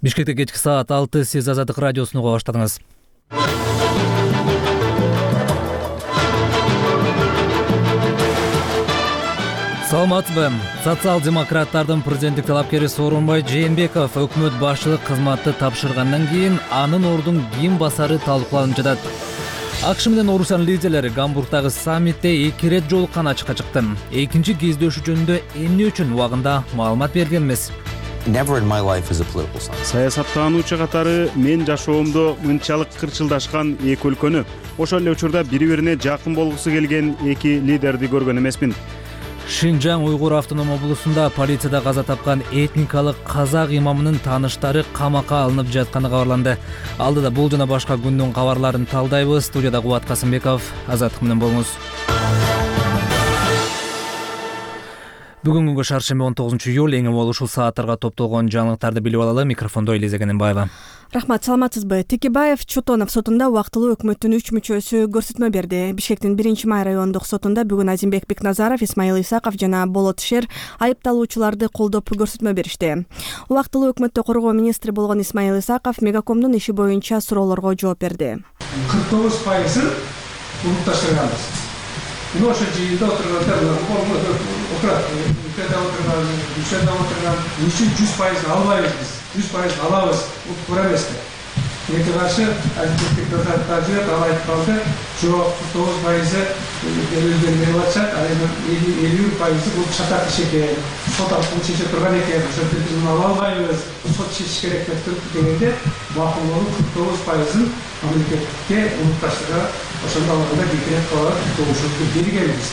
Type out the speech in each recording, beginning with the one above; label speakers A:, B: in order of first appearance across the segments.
A: Бишкекте кечки саат 6 сиз Азаттык радиосун уга баштадыңыз. Саламатсызбы? Социал-демократтардын президенттик талапкери Сооронбай Жээнбеков өкмөт башчылык кызматты тапшыргандан кийин анын ордун ким басары талкууланып жатат. АКШ менен Орусиянын лидерлери Гамбургдагы саммитте 2 рет жолуккан ачыкка чыкты. Экинчи кездешүү жөнүндө эмне үчүн убагында маалымат берген эмес.
B: Саясаттануучу катары мен жашоомдо мынчалык кырчылдашкан эки өлкөнү, ошол эле учурда бири-бирине жакын болгусу келген эки лидерди көргөн эмесмин.
A: Шинжаң Уйгур автоном облусунда полицияда каза тапкан этникалык казак имамынын тааныштары камакка алынып жатканы кабарланды. Алдыда бул жана башка күндүн кабарларын талдайбыз. Студияда Кубат Касымбеков, Азаттык менен болуңуз. Бүгүнкү күнгө шаршемби 19-июль эң эми ушул сааттарга топтолгон жаңылыктарды билип алалы. Микрофондо Элиза Кененбаева.
C: Рахмат, саламатсызбы? Текебаев Чотонов сотунда убактылуу өкмөттүн 3 мүчөсү көрсөтмө берди. Бишкектин 1-май райондук сотунда бүгүн Азимбек Бекназаров, Исмаил Исаков жана Болот Шер айыпталуучуларды колдоп көрсөтмө беришти. Убактылуу өкмөттү коргоо министри болгон Исмаил Исаков Мегакомдун иши боюнча суроолорго жооп берди.
D: 49% улутташтырганбыз. Ошо жыйында отургандар отурат, мүчөдө отурган, үчүн 100% албайбыз биз. 100% алабыз, туура эмеспи? Эки каршы адилеттик тазият алайт калды, жок 49% берилген деп атышат, а эми 50% бул чатак иш экен. Сот аркылуу чече турган экен, ошол биз муну ала албайбыз. Сот чечиш керек деп туруп дегенде, макулдуу 49%-ын мамлекетке улутташтырга ошондо алганда бекерет калат, добушубузду бергенбиз.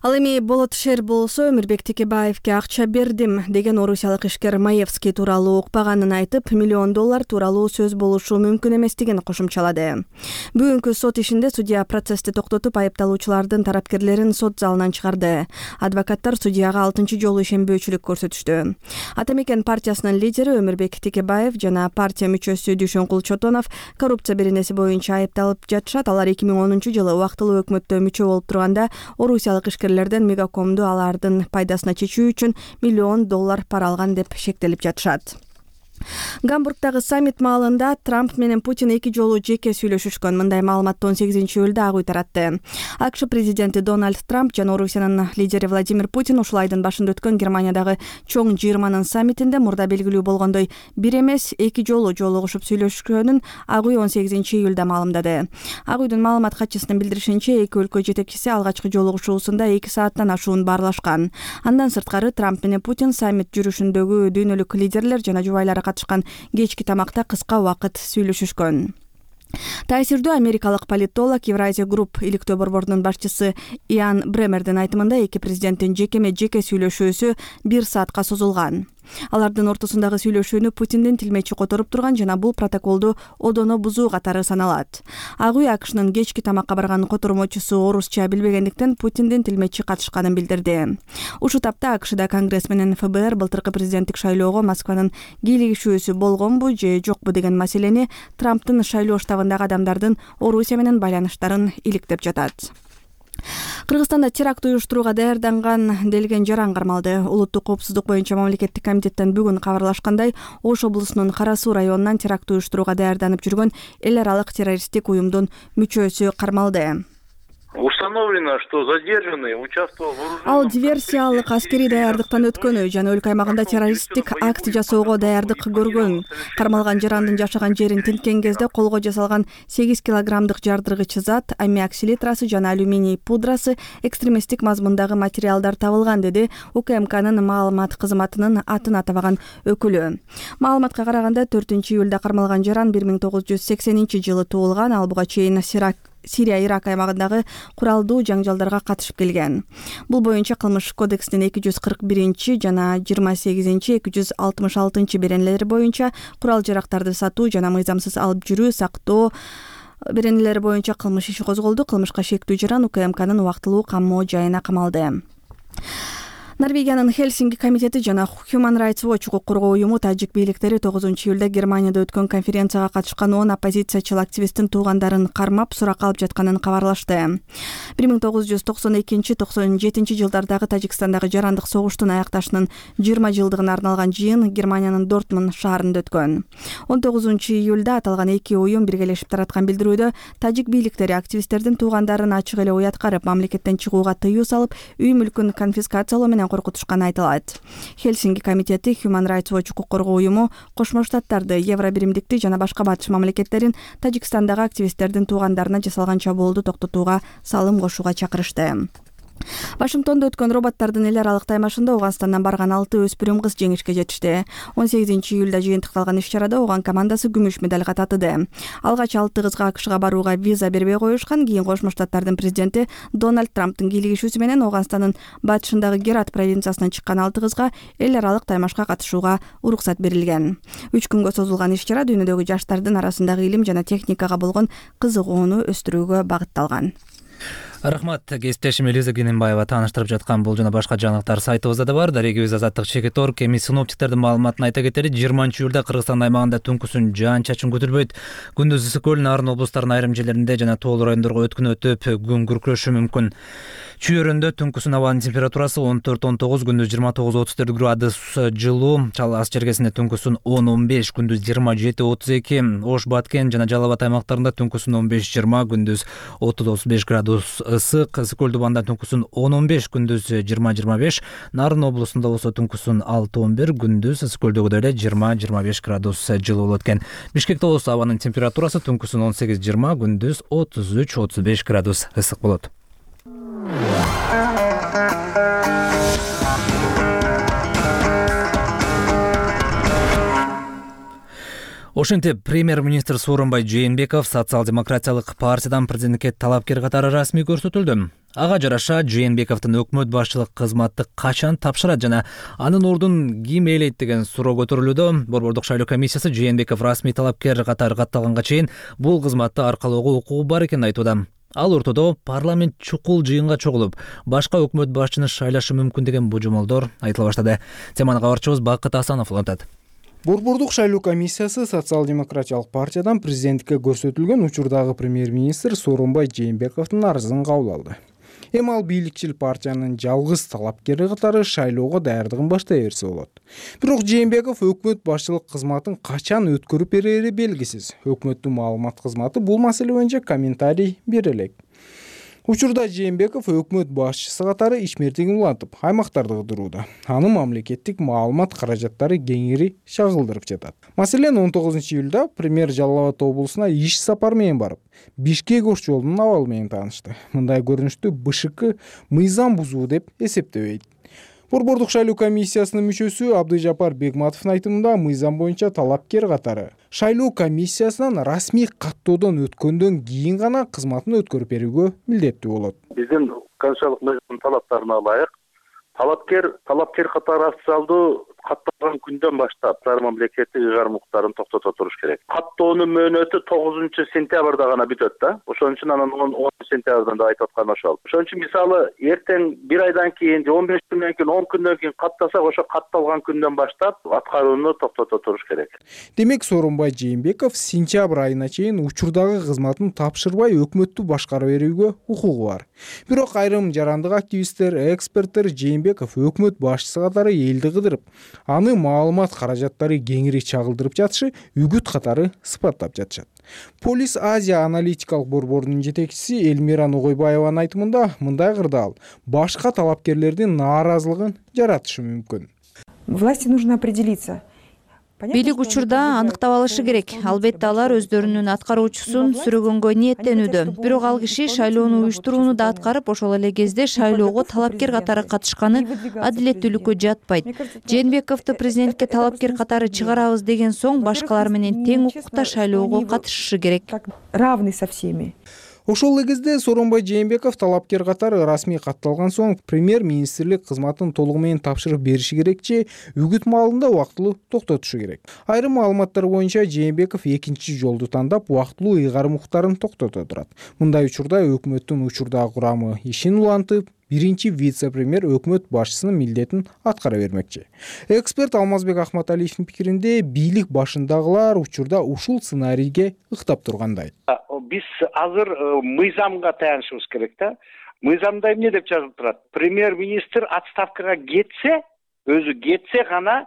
C: Ал эми Болот Шер болсо Өмүрбек Текебаевке акча бердим деген орусиялык ишкер Маевский тууралуу укпаганын айтып, $1 миллион тууралуу сөз болушу мүмкүн эместигин кошумчалады. Бүгүнкү сот ишинде судья процессти токтотуп, айыпталуучулардын тарапкерлерин сот залынан чыгарды. Адвокаттар судьяга 6 жолу ишенбөөчүлүк көрсөтүштү. Ата Мекен партиясынын лидери Өмүрбек Текебаев жана партия мүчөсү Дүйшөнкул Чотонов коррупция беренеси боюнча айыпталып жатышат. Алар 2010-жылы убактылуу өкмөттө мүчө болуп турганда орусиялык ишкер Мегакомду алардын пайдасына чечүү үчүн $1 миллион пара алган деп шектелип жатышат. Гамбургдагы саммит маалында Трамп менен Путин 2 жолу жеке сүйлөшүшкөн. Мындай маалыматты 18-июлда Ак үй таратты. АКШ президенти Дональд Трамп жана Орусиянын лидери Владимир Путин ушул айдын башында өткөн Германиядагы чоң 20-нын саммитинде мурда белгилүү болгондой бир эмес 2 жолу жолугушуп сүйлөшкөнүн Ак үй 18-июлда маалымдады. Ак үйдүн маалымат катчысынын билдиришинче, эки өлкө жетекчиси алгачкы жолугушуусунда 2 сааттан ашуун баарлашкан. Андан сырткары Трамп менен Путин саммит жүрүшүндөгү дүйнөлүк лидерлер жана жубайлары катышкан кечки тамакта кыска убакыт сүйлөшүшкөн. Таасирдүү америкалык политолог Евразия Групп иликтөө борборунун башчысы Иан Бремердин айтымында эки президенттин жеке сүйлөшүүсү 1 саатка созулган. Алардын ортосундагы сүйлөшүүнү Путиндин тилмечи которуп турган жана бул протоколду одоно бузуу катары саналат. Ак үй АКШнын кечки тамакка барган котормочусу орусча билбегендиктен Путиндин тилмечи катышканын билдирди. Ушул тапта АКШда Конгресс менен ФБР былтыркы президенттик шайлоого Москванын кийлигишүүсү болгонбу же жокпу деген маселени Трамптын шайлоо штабындагы адамдардын Орусия менен байланыштарын иликтеп жатат. Кыргызстанда теракт уюштурууга даярданган делген жаран кармалды. Улуттук коопсуздук боюнча мамлекеттик комитеттен бүгүн кабарлашкандай, Ош облусунун Кара Суу районунан теракт уюштурууга даярданып жүргөн эл аралык террористтик уюмдун мүчөсү кармалды.
E: Установлено, что задержанный участвовал в вооруженном...
C: Ал диверсиялык аскерий даярдыктан өткөнү жана өлкө аймагында террористтик акт жасоого даярдык көргөн. Кармалган жарандын жашаган жерин тинткен кезде колго жасалган 8 килограммдык жардыргыч зат, аммиак селитрасы жана алюминий пудрасы, экстремисттик мазмундагы материалдар табылган, деди УКМКнын маалымат кызматынын атын атабаган өкүлү. Маалыматка караганда 4-июлда кармалган жаран 1980-жылы туулган. Ал буга чейин Сирия-Ирак аймагындагы куралдуу жаңжалдарга катышып келген. Бул боюнча кылмыш кодекстин 241 жана 28-266 беренелери боюнча курал жарактарды сатуу жана мыйзамсыз алып жүрүү, сактоо беренелери боюнча кылмыш иши козголду. Кылмышка шектүү жаран УКМКнын убактылуу камоо жайына камалды. Норвегиянын Хельсинки комитети жана Human Rights Watch укук коргоо уюму тажик бийликтери 9-июлда Германияда өткөн конференцияга катышкан 10 оппозициячыл активисттин туугандарын кармап суракка алып жатканын кабарлашты. 1992-97 жылдардагы Тажикстандагы жарандык согуштун аякташынын 20 жылдыгына арналган жыйын Германиянын Дортмунд шаарында өткөн. 19-июлда аталган эки уюм биргелешип тараткан билдирүүдө тажик бийликтери активисттердин туугандарын ачык эле уяткарып, мамлекеттен чыгууга тыюу салып, үй мүлкүн конфискациялоо менен коркутушканы айтылат. Хельсинки комитети Human Rights Watch укук коргоо уюму Кошмо Штаттарды, Евробиримдикти жана башка батыш мамлекеттерин Тажикстандагы активисттердин туугандарына жасалган чабуулду токтотууга салым кошууга чакырышты. Вашингтондо өткөн роботтордун эл аралык таймашында Ауганстандан барган 6 өспүрүм кыз жеңишке жетишти. 18-июлда жыйынтыкталган иш-чарада Ауган командасы күмүш медальга татыды. Алгач 6 кызга АКШга барууга виза бербей коюшкан. Кийин Кошмо Штаттардын президенти Дональд Трамптын кийлигишүүсү менен Ауганстандын батышындагы Герат провинциясынан чыккан 6 кызга эл аралык таймашка катышууга уруксат берилген. 3 күнгө созулган иш-чара дүйнөдөгү жаштардын арасындагы илим жана техникага болгон кызыгууну өстүрүүгө багытталган.
A: Рахмат, кесиптешим Элиза Гененбаева тааныштырып жаткан бул жана башка жаңылыктар сайтыбызда да бар. Дарегибиз Азаттык Чекит.org. Эми синоптиктердин маалыматын айта кетели. 20-июлда Кыргызстан аймагында түнкүсүн жаан-чачын күтүлбөйт. Күндүз ысык Нарын облустарынын айрым жерлеринде жана тоолуу райондорго өткүн өтүп, күн күркүрөшү мүмкүн. Чүйөрүндө түнкүсүн абанын температурасы 14-19, күндүз 29-34 градус жылуу, Чал-Ас чергесинде түнкүсүн 10-15, күндүз 27-32, Ош, Баткен жана Жалал Абад аймактарында түнкүсүн 15-20, күндүз 30-35 градус ысык, Ысык-Көлдү-Банда түнкүсүн 10-15, күндүз 20-25, Нарын облусунда болсо түнкүсүн 6-11, күндүз Ысык-Көлдөгү эле 20-25 градус жылуу болот экен. Бишкекте болсо абанын температурасы түнкүсүн 18-20, күндүз 33-35 градус ысык болот. Ошентип, премьер-министр Сооронбай Жээнбеков социал-демократиялык партиядан президенттикке талапкер катары расмий көрсөтүлдү. Ага жараша Жээнбековдун өкмөт башчылык кызматты качан тапшырат жана анын ордун ким ээлейт деген суроо көтөрүлүүдө. Борбордук шайлоо комиссиясы Жээнбеков расмий талапкер катары катталганга чейин бул кызматты аркалоого укугу бар экенин айтууда. Ал ортодо парламент чукул жыйынга чогулуп, башка өкмөт башчыны шайлашы мүмкүн деген божомолдор айтыла баштады. Теманы кабарчыбыз Бакыт Асанов улантат.
F: Борбордук шайлоо комиссиясы социал-демократиялык партиядан президенттикке көрсөтүлгөн учурдагы премьер-министр Сооронбай Жээнбековдун арызын кабыл алды. Эми ал бийликчил партиянын жалгыз талапкери катары шайлоого даярдыгын баштай берсе болот. Бирок Жээнбеков өкмөт башчылык кызматын качан өткөрүп берери белгисиз. Өкмөттүн маалымат кызматы бул маселе боюнча комментарий бере элек. Учурда Жээнбеков өкмөт башчысы катары ишмердигин улантып, аймактарды кыдырууда. Анын мамлекеттик маалымат каражаттары кеңири чагылдырып жатат. Маселен, 19-июлда премьер Жалал Абад облусуна иш сапар менен барып, Бишкек-Ош жолунун абалы менен таанышты. Мындай көрүнүштү БШК мыйзам бузуу деп эсептебейт. Борбордук шайлоо комиссиясынын мүчөсү Абдыжапар Бегматовдун айтымында мыйзам боюнча талапкер катары шайлоо комиссиясынан расмий каттоодон өткөндөн кийин гана кызматын өткөрүп берүүгө милдеттүү болот.
E: Биздин конституциялык мыйзамдын талаптарына ылайык талапкер катары официалдуу катталган күндөн баштап мамлекеттик ыйгарым укуктарын токтото туруш керек. Каттоонун мөөнөтү 9-сентябрда гана бүтөт да. Ошон үчүн анан 10-сентябрдан да айтып аткан ошол. Ошон үчүн мисалы эртең 1 айдан кийин, 15 күндөн кийин, 10 күндөн кийин каттасак, ошо катталган күндөн баштап аткарууну токтото туруш керек.
F: Демек, Сооронбай Жээнбеков сентябрь айына чейин учурдагы кызматын тапшырбай өкмөттү башкара берүүгө укугу бар. Бирок айрым жарандык активисттер, эксперттер Жээнбеков өкмөт башчысы катары элди кыдырып, аны маалымат каражаттары кеңири чагылдырып жатышы үгүт катары сыпаттап жатышат. Полис Азия аналитикалык борборунун жетекчиси Элмира Ногойбаеванын айтымында мындай кырдаал башка талапкерлердин нааразылыгын жаратышы мүмкүн.
G: Власти нужно определиться. Бийлик учурда аныктап алышы керек. Албетте алар өздөрүнүн аткаруучусун сүрөгөнгө ниеттенүүдө. Бирок ал киши шайлоону уюштурууну да аткарып, ошол эле кезде шайлоого талапкер катары катышканы адилеттүүлүккө жатпайт. Жээнбековду президентке талапкер катары чыгарабыз деген соң башкалар менен тең укукта шайлоого катышышы керек. Равный со всеми.
F: Ошол эле кезде Сооронбай Жээнбеков талапкер катары расмий катталган соң премьер-министрлик кызматын толугу менен тапшырып бериши керек же үгүт маалында убактылуу токтотушу керек. Айрым маалыматтар боюнча Жээнбеков экинчи жолду тандап убактылуу ыйгарым укуктарын токтото турат. Мындай учурда өкмөттүн учурдагы курамы ишин улантып, биринчи вице-премьер өкмөт башчысынын милдетин аткара бермекчи. Эксперт Алмазбек Ахматалиевдин пикиринде бийлик башындагылар учурда ушул сценарийге ыктап тургандай.
H: Биз азыр мыйзамга таянышыбыз керек да. Мыйзамда эмне деп жазылып турат? Премьер-министр отставкага өзү кетсе гана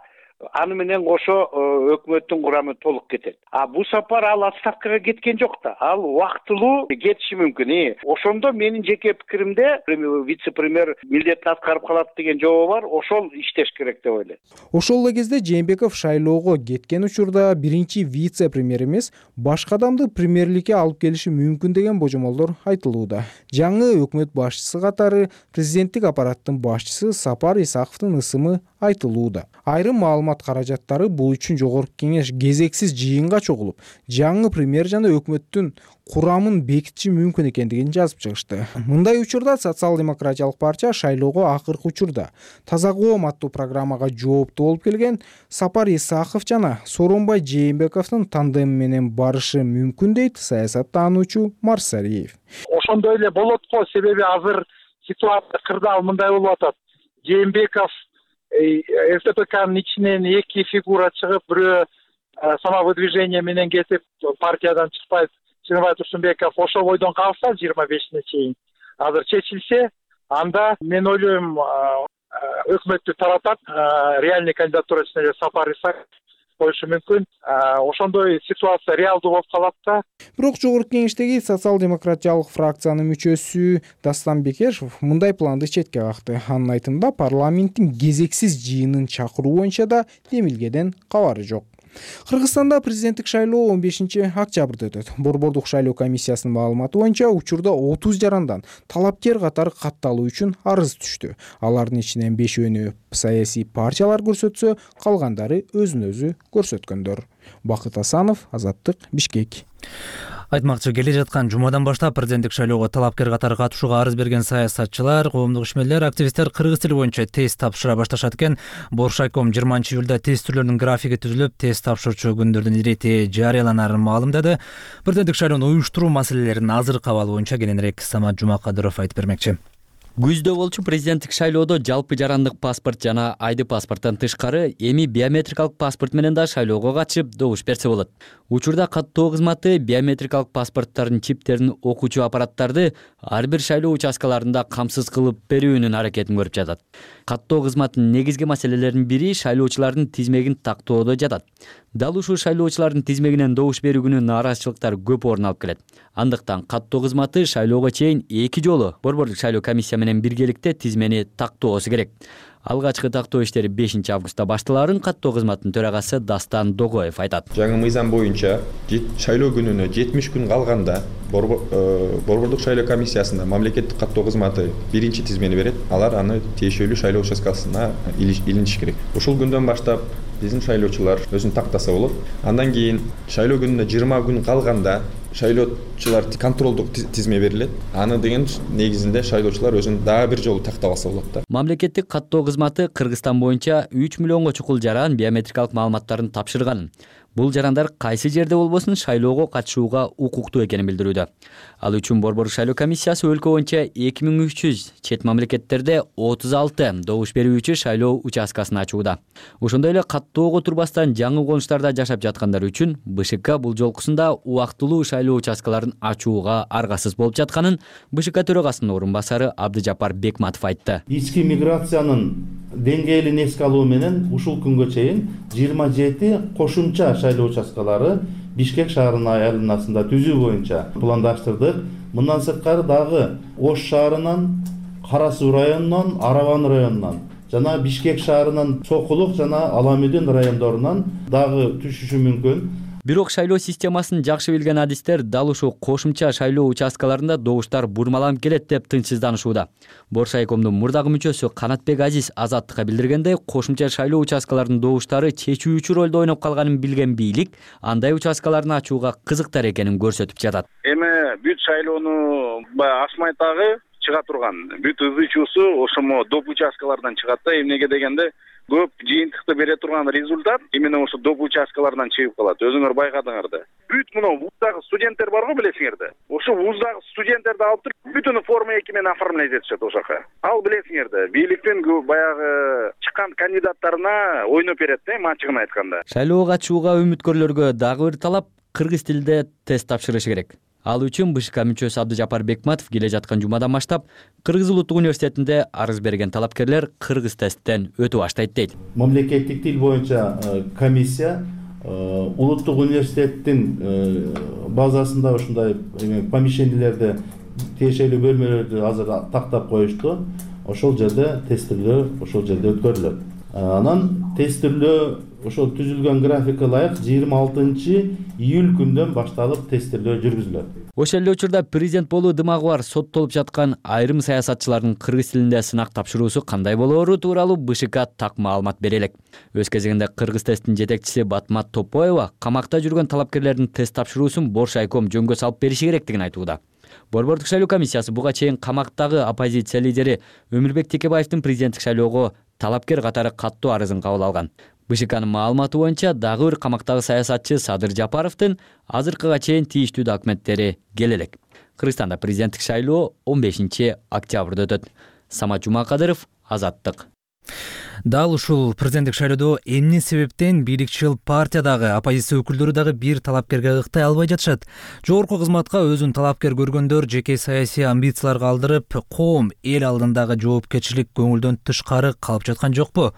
H: аны менен кошо өкмөттүн курамы толук кетет. Бул сапар ал отставкага кеткен жок да. Ал убактылуу кетиши мүмкүн. Ошондо менин жеке пикиримде вице-премьер милдетин аткарып калат деген жобо бар. Ошол иштеш керек деп ойлойм.
F: Ошол эле кезде Жээнбеков шайлоого кеткен учурда биринчи вице-премьер эмес, башка адамды премьерликке алып келиши мүмкүн деген божомолдор айтылууда. Жаңы өкмөт башчысы катары президенттик аппараттын башчысы Сапар Исаковдун ысымы айтылууда. Айрым маалымат каражаттары бул үчүн жогорку кеңеш кезексиз жыйынга чогулуп, жаңы премьер жана өкмөттүн курамын бекитиши мүмкүн экендигин жазып чыгышты. Мындай учурда социал-демократиялык партия шайлоого акыркы учурда таза коом аттуу программага жооптуу болуп келген Сапар Исаков жана Сооронбай Жээнбековдун тандеми менен барышы мүмкүн дейт саясаттануучу Марсариев.
I: Ошондой эле болот го, себеби азыр ситуация кырдаал мындай болуп атат. Жээнбеков СДПКнын ичинен эки фигура чыгып, бирөө самовыдвижение менен кетип, партиядан чыкпайт Чыныбай Турсунбеков ошол бойдон калса 25-не чейин азыр чечилсе, анда мен ойлойм өкмөттү таратат, реальный кандидатурасына эле Сапар Исаков коюшу мүмкүн. Ошондой ситуация реалдуу болуп калат да.
F: Бирок жогорку кеңештеги социал-демократиялык фракциянын мүчөсү Дастан Бекешев мындай планды четке какты. Анын айтымында парламенттин кезексиз жыйынын чакыруу боюнча да демилгеден кабары жок. Кыргызстанда президенттик шайлоо 15-октябрда өтөт. Борбордук шайлоо комиссиясынын маалыматы боюнча учурда 30 жарандан талапкер катары катталуу үчүн арыз түштү. Алардын ичинен 5-өөнү саясий партиялар көрсөтсө, калгандары өзүн-өзү көрсөткөндөр. Бакыт Асанов, Азаттык, Бишкек.
A: Айтмакчы, келе жаткан жумадан баштап президенттик шайлоого талапкер катары катышууга арыз берген саясатчылар, коомдук ишмерлер, активисттер кыргыз тили боюнча тест тапшыра башташат экен. Боршайком 20-июлда тест түрлөрүнүн графиги түзүлүп, тест тапшырчу күндөрдүн ирети жарыяланарын маалымдады. Президенттик шайлоону уюштуруу маселелерин азыркы абал боюнча кененирээк Самат Жумакадыров айтып бермекчи.
J: Күздө болчу президенттик шайлоодо жалпы жарандык паспорт жана айды паспорттон тышкары эми биометрикалык паспорт менен да шайлоого катышып добуш берсе болот. Учурда каттоо кызматы биометрикалык паспорттардын чиптерин окуучу аппараттарды ар бир шайлоо участкаларында камсыз кылып берүүнүн аракетин көрүп жатат. Каттоо кызматынын негизги маселелеринин бири шайлоочулардын тизмегин тактоодо жатат. Дал ушул шайлоочулардын тизмегинен добуш берүү күнү нааразычылыктар көп орун алып келет. Андыктан каттоо кызматы шайлоого чейин 2 жолу борбордук шайлоо комиссия менен биргеликте тизмени тактоосу керек. Алгачкы тактоо иштери 5-августта башталарын каттоо кызматынын төрагасы Дастан Догоев айтат.
K: Жаңы мыйзам боюнча шайлоо күнүнө 70 күн калганда борбордук шайлоо комиссиясында мамлекеттик каттоо кызматы биринчи тизмени берет. Алар аны тиешелүү шайлоо участкасына илиниш керек. Ушул күндөн баштап биздин шайлоочулар өзүн тактаса болот. Андан кийин шайлоо күнүнө 20 күн калганда шайлоочулар контролдук тизме берилет. Аны деген негизинде шайлоочулар өзүн дагы бир жолу тактап алса болот да.
J: Мамлекеттик каттоо кызматы Кыргызстан боюнча 3 миллионго чукул жаран биометрикалык маалыматтарын тапшырган. Бул жарандар кайсы жерде болбосун шайлоого катышууга укуктуу экенин билдирүүдө. Ал үчүн борбордук шайлоо комиссиясы өлкө боюнча 2300 чет мамлекеттерде 36 добуш берүүчү шайлоо участкасын ачууда. Ошондой эле каттоого турбастан жаңы конуштарда жашап жаткандар үчүн БШК бул жолкусунда убактылуу шайлоо участкаларын ачууга аргасыз болуп жатканын БШК төрагасынын орун басары Абдыжапар Бекматов айтты.
L: Ички миграциянын деңгээлин эске алуу менен ушул күнгө чейин 27 кошумча шайлоо участкалары Бишкек шаарынын айланасында түзүү боюнча пландаштырдык. Мындан сырткары дагы Ош шаарынан, Кара Суу районунан, Араван районунан жана Бишкек шаарынын Сокулук жана Аламүдүн райондорунан дагы түшүшү мүмкүн.
J: Бирок шайлоо системасын жакшы билген адистер дал ушул кошумча шайлоо участкаларында добуштар бурмаланып келет деп тынчсызданышууда. Боршайкомдун мурдагы мүчөсү Канатбек Азиз Азаттыкка билдиргендей, кошумча шайлоо участкаларынын добуштары чечүүчү ролду ойноп калганын билген бийлик андай участкаларын ачууга кызыктар экенин көрсөтүп жатат.
H: Эми
M: бүт шайлоону баягы Асмайтагы чыга турган бүт ызычуусу ошомо доп участкалардан чыгат да. Эмнеге дегенде көп жыйынтыкты бере турган результат именно ошо доп участкаларынан чыгып калат. Өзүңөр байкадыңар да. Бүт мына вуздагы студенттер барго билесиңер да. Ошо вуздагы студенттерди алып туруп бүтүнү форма 2 менен оформлять этишет ошока. Ал билесиңер да. Бийликтин баягы чыккан кандидаттарына ойноп берет да, ачыгын айтканда.
J: Шайлоого катышууга үмүткөрлөргө дагы бир талап кыргыз тилинде тест тапшырышы керек. Ал үчүн БШК мүчөсү Абдыжапар Бекматов келе жаткан жумадан баштап Кыргыз Улуттук университетинде арыз берген талапкерлер кыргыз тесттен өтүп баштайт дейт.
L: Мамлекеттик тил боюнча комиссия Улуттук университеттин базасында ушундай помещениелерде тиешелүү бөлмөлөрдү азыр тактап коюшту. Ошол жерде тестилөө ошол жерде өткөрүлөт. Анан тестилөө ошол түзүлгөн графикке ылайык 26-июль күндөн башталып тестилөө жүргүзүлөт.
J: Ошол эле учурда президент болуу дымагы бар соттолуп жаткан айрым саясатчылардын кыргыз тилинде сынак тапшыруусу кандай болоору тууралуу БШК так маалымат бере элек. Өз кезегинде кыргыз тесттин жетекчиси Батмат Топоева камакта жүргөн талапкерлердин тест тапшыруусун Боршайком жөнгө салып бериши керектигин айтууда. Борбордук шайлоо комиссиясы буга чейин камактагы оппозиция лидери Өмүрбек Текебаевдин президенттик шайлоого талапкер катары каттуу арызын кабыл алган. БШКнын маалыматы боюнча дагы бир камактагы саясатчы Садыр Жапаровдун азыркыга чейин тийиштүү документтери келе элек. Кыргызстанда президенттик шайлоо 15 октябрда өтөт. Самат Жумакадыров, Азаттык.
A: Дал ушул президенттик шайлоодо эмне себептен бийликчил партиядагы оппозиция өкүлдөрү дагы бир талапкерге ыктай албай жатышат? Жогорку кызматка өзүн талапкер көргөндөр жеке саясий амбицияларга алдырып, коом эл алдындагы жоопкерчилик көңүлдөн тышкары калып жаткан жокпу?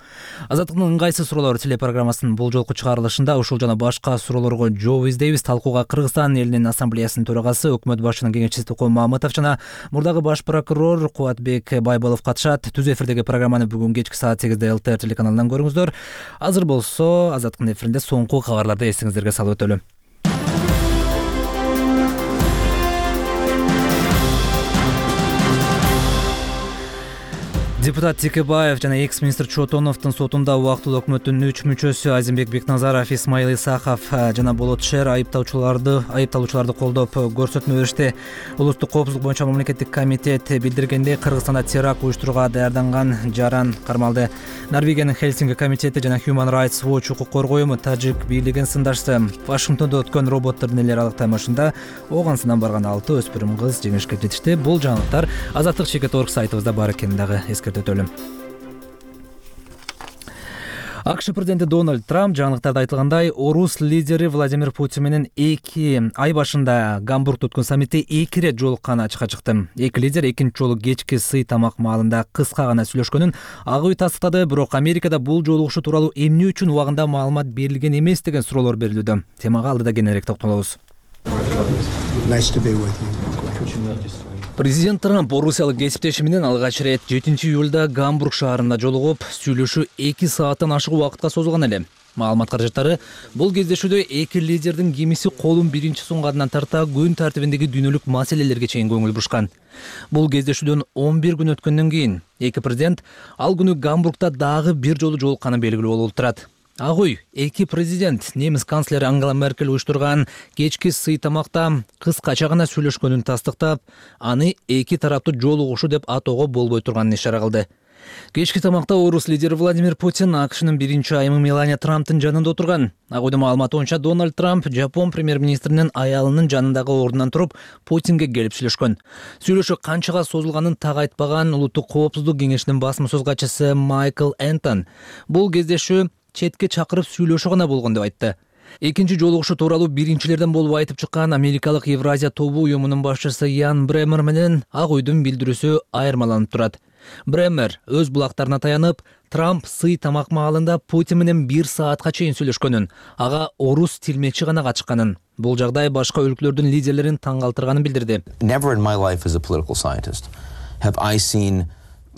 A: Азаттыктын ыңгайсыз суроолору телепрограммасынын бул жолку чыгарылышында ушул жана башка суроолорго жооп издейбиз. Талкууга Кыргызстан элинин ассамблеясынын төрагасы, өкмөт башчынын кеңешчиси Токон Мамытов жана мурдагы баш прокурор Кубатбек Байболов катышат. Түз эфирдеги программаны бүгүн кечки саат 8-де ЛТР телеканалынан көрүңүздөр. Азыр болсо Азаттыктын эфиринде соңку кабарларды эсиңиздерге салып өтөлү. Депутат Текебаев жана экс-министр Чотоновдун сотунда убактылуу өкмөттүн 3 мүчөсү Азимбек Бекназаров, Исмаил Исахов жана Болот Шер айыпталуучуларды колдоп көрсөтмө беришти. Улуттук коопсуздук боюнча мамлекеттик комитет билдиргендей, Кыргызстанда теракт уюштурууга даярданган жаран кармалды. Норвегиянын Хельсинки комитети жана Human Rights Watch укук коргоо уюму тажик бийлигин сындашты. Вашингтондо өткөн роботтор нелер алыктамашында оогансынан барган 6 өспүрүм кыз жеңишке жетишти. Бул жаңылыктар Азаттык.org сайтыбызда бар экенин дагы эскертөтөлүм. АКШ президенти Дональд Трамп жаңылыктарда айтылгандай, орус лидери Владимир Путин менен 2 ай башында Гамбургда өткөн саммитте 2 рет жолукканы ачыкка чыкты. Эки лидер экинчи жолу кечки сый тамак маалында кыска гана сүйлөшкөнүн ак үй тастыктады, бирок Америкада бул жолугушуу тууралуу эмне үчүн убагында маалымат берилген эмес деген суроолор берилүүдө. Темага алдыда кененирээк токтолобуз. Президент Трамп орусиялык кесиптеши менен алгач ирет 7-июлда Гамбург шаарында жолугуп, сүйлөшүү 2 сааттан ашык убакытка созулган эле. Маалымат каражаттары бул кездешүүдө эки лидердин кимиси колун биринчи сунгандан тарта күн тартибиндеги дүйнөлүк маселелерге чейин көңүл бурушкан. Бул кездешүүдөн 11 күн өткөндөн кийин эки президент ал күнү Гамбургда дагы бир жолу жолукканы белгилүү болуп турат. Ак үй эки президент немис канцлери Ангела Меркель уюштурган кечки сый тамакта кыскача гана сүйлөшкөнүн тастыктап, аны эки тараптуу жолугушуу деп атоого болбой турганын ишара кылды. Кечки тамакта орус лидери Владимир Путин АКШнын биринчи айымы Мелания Трамптын жанында отурган. Ак үйдүн маалыматы боюнча Дональд Трамп Жапон премьер-министринин аялынын жанындагы ордунан туруп Путинге келип сүйлөшкөн. Сүйлөшүү канчага созулганын так айтпаган Улуттук коопсуздук кеңешинин басма сөз катчысы Майкл Энтон бул кездешүү четке чакырып сүйлөшүү гана болгон деп айтты. Экинчи жолугушуу тууралуу биринчилерден болуп айтып чыккан Америкалык Евразия тобу уюмунун башчысы Ян Бремер менен Ак үйдүн билдирүүсү айырмаланып турат. Бремер өз булактарына таянып, Трамп сый тамак маалында Путин менен 1 саатка чейин сүйлөшкөнүн, ага орус тилмечи гана качканын, бул жагдай башка өлкөлөрдүн лидерлерин таң калтырганын билдирди.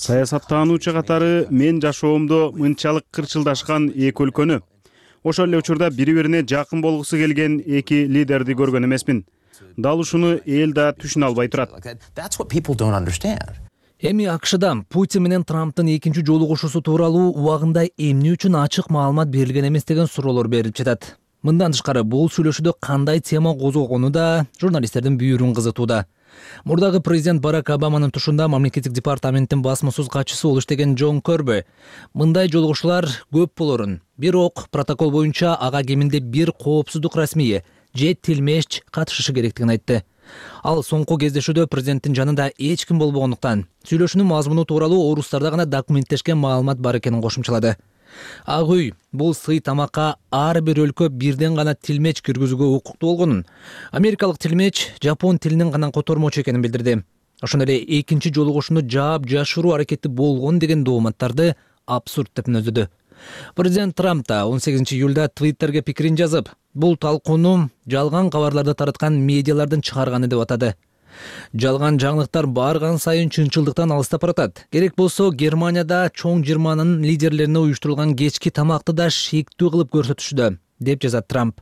B: Саясаттануучу катары мен жашоомдо мынчалык кырчылдашкан эки өлкөнү, ошол эле учурда бири-бирине жакын болгусу келген эки лидерди көргөн эмесмин. Дал ушуну эл да түшүнө албай турат. Эми АКШда Путин менен Трамптын экинчи жолугушуусу тууралуу убагында эмне үчүн ачык маалымат берилген эмес деген суроолор берилип жатат.
A: Мындан тышкары бул сүйлөшүүдө кандай тема козголгону да журналисттердин бүйүрүн кызытууда. Мурдагы президент Барак Обаманын тушунда мамлекеттик департаменттин басма-сөз катчысы болуп иштеген Джон Көрбү мындай жолугушуулар көп болорун, бирок протокол боюнча ага кеминде бир коопсуздук расмийи же тилмеш катышышы керектигин айтты. Ал соңку кездешүүдө президенттин жанында эч ким болбогондуктан сүйлөшүүнүн мазмуну тууралуу орустарда гана документтешкен маалымат бар экенин кошумчалады. Ак үй бул сый тамакка ар бир өлкө бирден гана тилмеч киргизүүгө укуктуу болгонун, америкалык тилмеч жапон тилинен гана котормочу экенин билдирди. Ошондой эле экинчи жолугушууну жаап жашыруу аракети болгон деген дооматтарды абсурд деп мүнөздөдү. Президент Трамп да 18 июлда Твиттерге пикирин жазып, бул талкууну жалган кабарларды тараткан медиалардын чыгарганы деп атады. Жалган жаңылыктар барган сайын чынчылдыктан алыстап баратат. Керек болсо Германияда чоң жыйырманын лидерлерине уюштурулган кечки тамакты да шектүү кылып көрсөтүшүдө, деп жазат Трамп.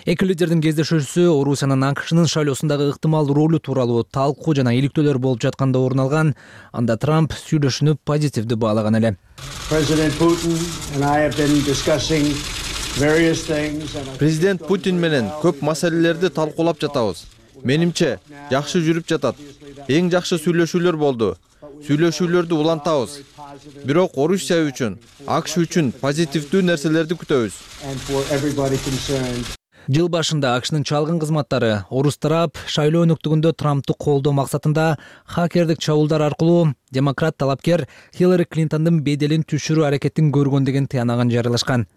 A: Эки лидердин кездешүүсү Орусиянын АКШнын шайлоосундагы ыктымал ролу тууралуу талкуу жана иликтөөлөр болуп жатканда орун алган. Анда Трамп сүйлөшүүнү позитивдүү баалаган эле.
N: Президент Путин менен көп маселелерди талкуулап жатабыз. Менимче, жакшы жүрүп жатат. Эң жакшы сүйлөшүүлөр болду. Сүйлөшүүлөрдү улантабыз. Бирок Орусия үчүн, АКШ үчүн позитивдүү нерселерди күтөбүз.
A: Жыл башында АКШнын чалгын кызматтары орус тарап шайлоо өнөктүгүндө Трампты колдоо максатында хакердик чабуулдар аркылуу демократ талапкер Хиллари Клинтондун беделин түшүрүү аракетин көргөн деген тыянагын жарыялашкан.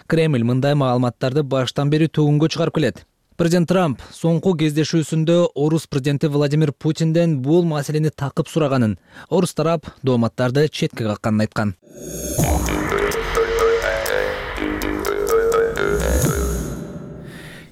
A: Кремль мындай маалыматтарды баштан бери төгүнгө чыгарып келет. Президент Трамп соңку кездешүүсүндө орус президенти Владимир Путинден бул маселени такып сураганын, орус тарап дооматтарды четке какканын айткан.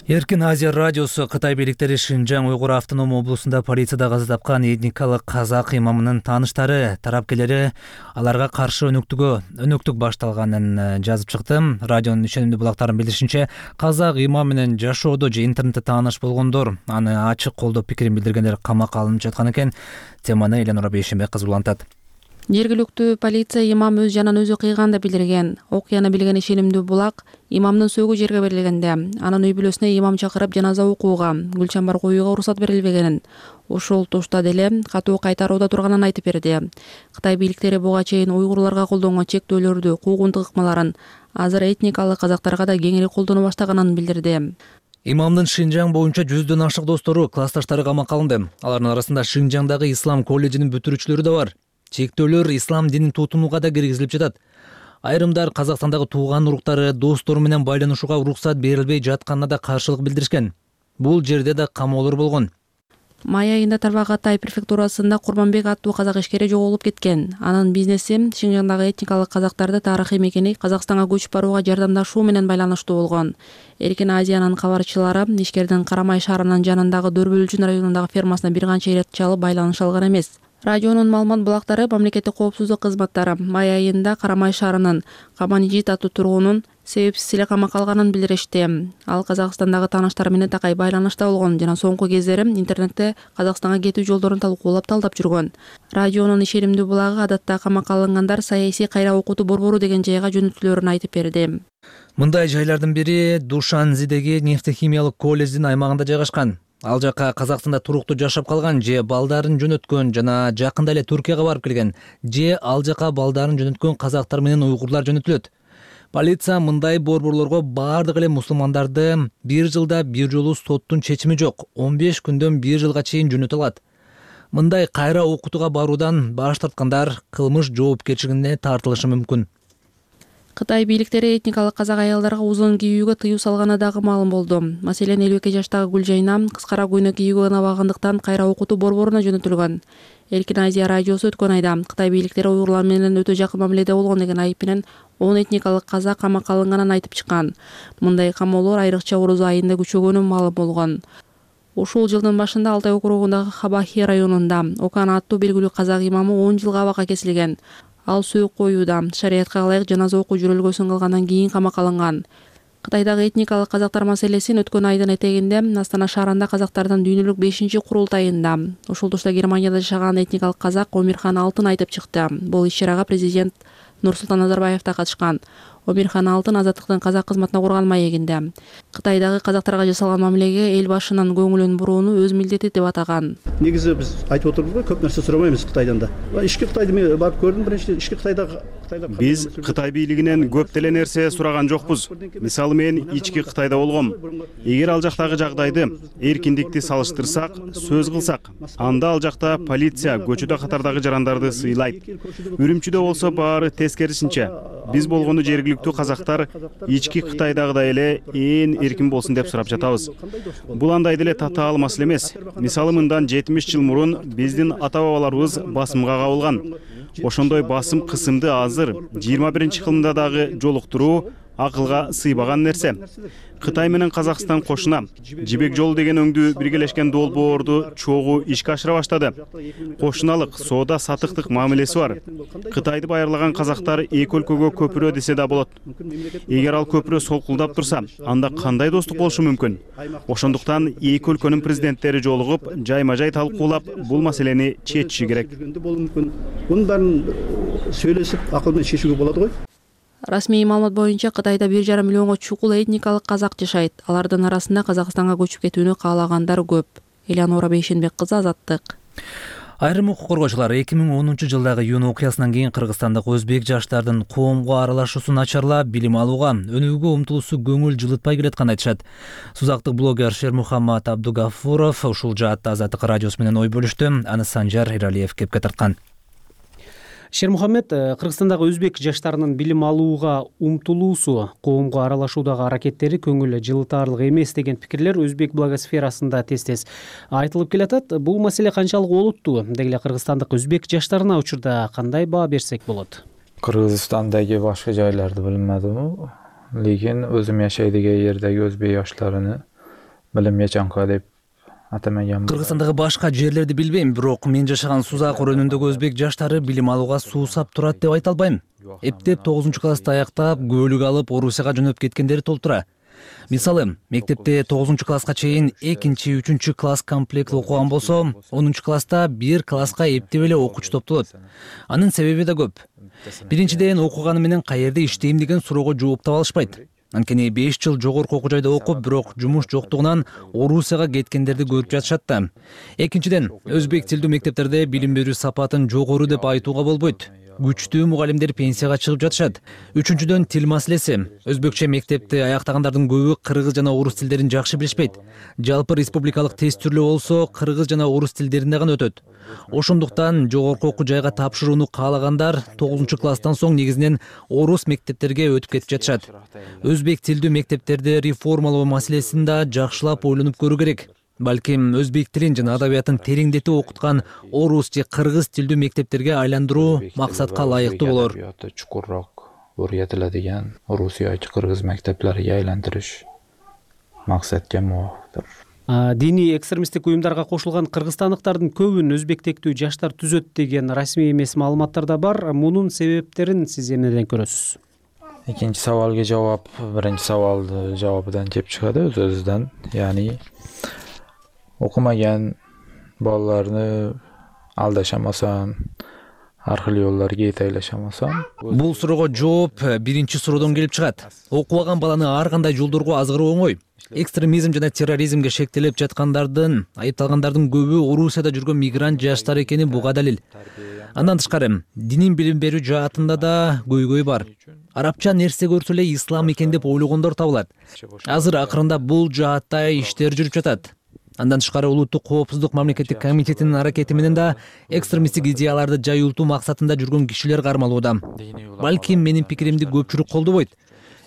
A: Эркин Азия радиосу Кытай бийликтери Шинжаң Уйгур автоном облусунда полицияда каза тапкан этникалык казак имамынын тааныштары, тарапкерлери аларга каршы өнөктүк башталганын жазып чыкты. Радионун ишенимдүү булактарын билдиришинче, казак имам менен жашоодо же интернетте тааныш болгондор, аны ачык колдоп пикирин билдиргендер камакка алынып жаткан экен. Теманы Эленора Бейшенбек кызы улантат.
O: Жергиликтүү полиция имам өз жанын өзү кыйган деп билдирген. Окуяны билген ишенимдүү булак имамдын сөөгү жерге берилгенде, анын үй бүлөсүнө имам чакырып жаназа окууга, гүлчамбар коюуга уруксат берилбегенин, ошол туштада эле катуу кайтарууда турганын айтып берди. Кытай бийликтери буга чейин уйгурларга колдонгон чектөөлөрдү, куугунтук ыкмаларын азыр этникалык казактарга да кеңири колдоно баштаганын билдирди.
A: Имамдын Шинжаң боюнча 100дөн ашык достору, классташтары камакка алынды. Алардын арасында Шинжаңдагы ислам колледжинин бүтүрүүчүлөрү да бар. Чектөөлөр ислам динин тутумуга да киргизилип жатат. Айрымдар Казакстандагы тууган уруктары, достору менен байланышууга уруксат берилбей жатканына да каршылык билдиришкен. Бул жерде да камоолор болгон.
O: Май айында Тарбағатай префектурасында Курманбек аттуу казак ишкери жоголуп кеткен. Анын бизнеси Шинжаңдагы этникалык казактарды тарыхый мекени Казакстанга көчүп барууга жардамдашуу менен байланыштуу болгон. Эркин Азиянын кабарчылары ишкердин Карамай шаарынын жанындагы Дөрбөлчүн районундагы фермасына бир канча ирет чалып байланыша алган эмес. Радионун маалымат булактары мамлекеттик коопсуздук кызматтары май айында Карамай шаарынын Каманижит аттуу тургунун себепсиз эле камакка алганын билдиришти. Ал Казакстандагы тааныштары менен такай байланышта болгон жана соңку кездери интернетте Казакстанга кетүү жолдорун талкуулап талдап жүргөн. Радионун ишенимдүү булагы адатта камакка алынгандар саясий кайра окутуу борбору деген жайга жөнөтүлөрүн айтып берди.
A: Мындай жайлардын бири Душанзидеги нефтехимиялык колледждин аймагында жайгашкан. Ал жака Казакстанда туруктуу жашап калган же балдарын жөнөткөн жана жакында эле Түркияга барып келген же ал жака балдарын жөнөткөн казактар менен уйгурлар жөнөтүлөт. Полиция мындай борборлорго бардык эле мусулмандарды бир жылда бир жолу соттун чечими жок 15 күндөн бир жылга чейин жөнөтө алат. Мындай кайра окутууга баруудан баш тарткандар кылмыш жоопкерчилигине тартылышы мүмкүн.
O: Кытай бийликтери этникалык казак аялдарга узун кийүүгө тыюу салганы дагы маалым болду. Маселен 52 жаштагы Гүлжайна кыскара көйнөк кийүүгө ынабагандыктан кайра окутуу борборуна жөнөтүлгөн. Эркин Азия радиосу өткөн айда Кытай бийликтери уйгурлар менен өтө жакын мамиледе болгон деген айып менен 10 этникалык казак камакка алынганын айтып чыккан. Мындай камоолор айрыкча Орус айында күчөгөнү маалым болгон. Ушул жылдын башында Алтай округундагы Хабахи районунда Окан аттуу белгилүү казак имамы 10 жылга абакка кесилген. Ал сөөк коюуда шариятка ылайык жаназа окуу жүрөлгөсүн кылгандан кийин камакка алынган. Кытайдагы этникалык казактар маселесин өткөн айдын этегинде Астана шаарында казактардын дүйнөлүк 5-курултайында ушул тушта Германияда жашаган этникалык казак Омирхан Алтын айтып чыкты. Бул иш-чарага президент Нурсултан Назарбаев да катышкан. Омирхан Алтын Азаттыктын казак кызматына курган маегинде. Кытайдагы казактарга жасалган мамилеге эл башынын көңүлүн бурууну өз милдети деп атаган.
P: Негизи биз айтып отурбузбу, көп нерсе сурамайбыз Кытайдан да. Ички Кытайды мен барып көрдүм, биринчиден ички Кытайда
B: биз Кытай бийлигинен көп деле нерсе сураган жокпуз. Мисалы мен ички Кытайда болгом. Эгер ал жактагы жагдайды, эркиндикти салыштырсак, сөз кылсак, анда ал жакта полиция көчөдө катардагы жарандарды сыйлайт. Үрүмчүдө болсо баары тескерисинче. Биз болгону жергиликтүү казактар ички Кытайдагыдай эле ээн эркин болсун деп сурап жатабыз. Бул андай деле татаал маселе эмес. Мисалы мындан 70 жыл мурун биздин ата-бабаларыбыз басымга кабылган. Ошондой басым кысымды азыр 21-кылымда дагы жолуктуруу акылга сыйбаган нерсе. Кытай менен Казакстан кошуна Жибек жолу деген өңдүү биргелешкен долбоорду чогуу ишке ашыра баштады. Кошуналык, соода сатыктык мамилеси бар. Кытайды байырлаган казактар эки өлкөгө көпүрө десе да болот. Эгер ал көпүрө солкулдап турса, анда кандай достук болушу мүмкүн? Ошондуктан эки өлкөнүн президенттери жолугуп, жайма-жай талкуулап, бул маселени чечиши керек.
P: Мунун баарын сүйлөшүп, акыл менен чечүүгө болот го.
O: Расмий маалымат боюнча Кытайда 1,5 миллионго чукул этникалык казак жашайт. Алардын арасында Казакстанга көчүп кетүүнү каалагандар көп. Элеонора Бейшенбек кызы, Азаттык.
A: Айрым укук коргоочулар 2010 жылдагы июнь окуясынан кийин Кыргызстандык өзбек жаштардын коомго аралашуусун начарлап, билим алууга, өнүүгө умтулуусу көңүл жылытпай келатканын айтышат. Сузактык блогер Шермухаммад Абдугафуров ушул жаатта Азаттык радиосу менен ой бөлүштү. Аны Санжар Иралиев кепке тарткан.
Q: Шермухаммед, Кыргызстандагы өзбек жаштарынын билим алууга умтулуусу, коомго аралашуудагы аракеттери көңүл жылытаарлык эмес деген пикирлер өзбек блогосферасында тез-тез айтылып келатат. Бул маселе канчалык олуттуу? Деги эле кыргызстандык өзбек жаштарына учурда кандай баа берсек болот?
R: Кыргызстандагы башка жайларды билмедим, лекин өзүм жашай деген жердеги өзбек жаштарыны билим жачанка деп атамаган.
A: Кыргызстандагы башка жерлерди билбейм, бирок мен жашаган Сузак районундагы өзбек жаштары билим алууга суусап турат деп айта албайм. Эптеп 9-классты аяктап, көөлүк алып, Орусияга жөнөп кеткендери толтура. Мисалы, мектепте 9-класска чейин 2-3 класс комплект окуган болсо, 10-класста 1 класска эптеп эле окуучу топтолот. Анын себеби да көп. Биринчиден, окуганы менен каерде иштейм деген суроого жооп таба алышпайт. Анткени 5 жыл жогорку окуу жайда окуп, бирок жумуш жоктугунан Орусияга кеткендерди көрүп жатышат да. Экинчиден, өзбек тилдүү мектептерде билим берүү сапатын жогору деп айтууга болбойт. Күчтүү мугалимдер пенсияга чыгып жатышат. Үчүнчүдөн, тил маселеси. Өзбекче мектепти аяктагандардын көбү кыргыз жана орус тилдерин жакшы билишпейт. Жалпы республикалык тест түрлүү болсо, кыргыз жана орус тилдеринде гана өтөт. Ошондуктан жогорку окуу жайга тапшырууну каалагандар 9-класстан соң негизинен орус мектептерге өтүп кетип жатышат. Өзбек тилдүү мектептерди реформалоо маселесин да жакшылап ойлонуп көрүү керек. Балким өзбек тилин жана адабиятын тереңдетип окуткан орус же кыргыз тилдүү мектептерге айландыруу максатка ылайыктуу болор.
R: Чукурраак öğretiladigan орус yoki кыргыз мектептерге айландырыш максатка мувафыктыр.
Q: Диний экстремисттик уюмдарга кошулган кыргызстандыктардын көбүн өзбектектүү жаштар түзөт деген расмий эмес маалыматтар да бар. Мунун себептерин сиз эмнеден көрөсүз?
R: Экинчи сабалга жооп, биринчи сабалды жообудан кеп чыгады өз-өзүнөн. Яни окумаган балаларны алдашамасам, аркылуу жолдорго этейлешамасам.
A: Бул суроого жооп биринчи суроодон келип чыгат. Окубаган баланы ар кандай жолдорго азгыруу оңой. Экстремизм жана терроризмге шектелип жаткандардын, айыпталгандардын көбү Орусияда жүргөн мигрант жаштар экени буга далил. Андан тышкары, динин билим берүү жаатында да көйгөй бар. Арабча нерсе көрсө эле ислам экен деп ойлогондор табылат. Азыр акырында бул жаатта иштер жүрүп жатат. Андан тышкары улуттук коопсуздук мамлекеттик комитетинин аракети менен да экстремисттик идеяларды жайылтуу максатында жүргөн кишилер кармалууда. Балким менин пикиримди көпчүлүк колдобойт.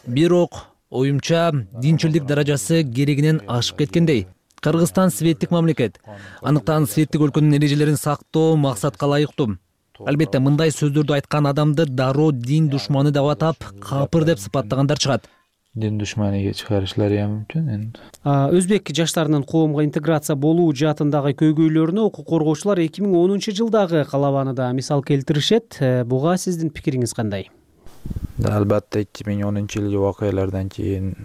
A: Бирок оюмча динчилдик даражасы керегинен ашып кеткендей. Кыргызстан светтик мамлекет. Аныктан светтик өлкөнүн эрежелерин сактоо максатка ылайыктуу. Албетте мындай сөздөрдү айткан адамды дароо дин душманы деп атап, капыр деп сыпаттагандар чыгат.
R: Дин душманыга чыгарышлары мүмкүн.
Q: Өзбек жаштарынын коомго интеграция болуу жаатындагы көйгөйлөрүнө укук коргоочулар 2010 жылдагы калабаны да мисал келтиришет. Буга сиздин пикириңиз кандай?
R: Албетте 2010 жылдагы окуялардан кийин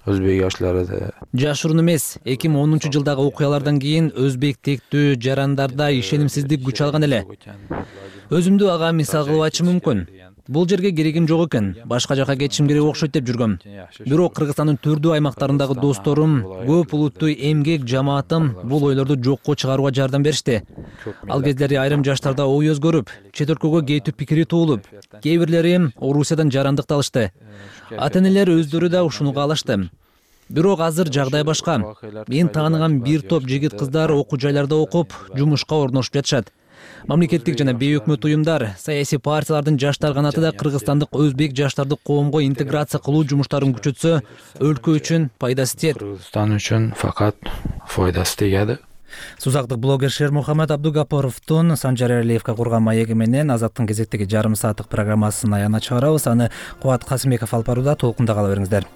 R: өзбек жаштары да
A: жашыруун эмес, 2010 жылдагы окуялардан кийин өзбек тектүү жарандарда ишенимсиздик күч алган эле. Өзүмдү ага мисал кылып айтышым мүмкүн. Бул жерге керегим жок экен, башка жака кетишим керек окшойт деп жүргөм. Бирок Кыргызстандын түрдүү аймактарындагы досторум, көп улуттуу эмгек жамаатым бул ойлорду жокко чыгарууга жардам беришти. Ал кездери айрым жаштарда ой өзгөрүп, чет өлкөгө кетүү пикири туулуп, кээ бирлери Орусиядан жарандык алышты. Ата-энелер өздөрү да ушуну каалашты. Бирок азыр жагдай башка. Мен тааныган бир топ жигит кыздар окуу жайларда окуп, жумушка орношуп жатышат. Мамлекеттик жана бейөкмөт уюмдар, саясий партиялардын жаштар канаты да кыргызстандык өзбек жаштарды коомго интеграция кылуу жумуштарын күчөтсө, өлкө үчүн пайдасы тиет.
R: Кыргызстан үчүн факат пайдасы тигет.
A: Сузактык блогер Шермухаммед Абдугапоровдун Санжар Эралиевге курган маеги менен Азаттын кезектеги жарым сааттык программасын аягына чыгарабыз. Аны Кубат Касымбеков алып барууда, толкунда кала бериңиздер.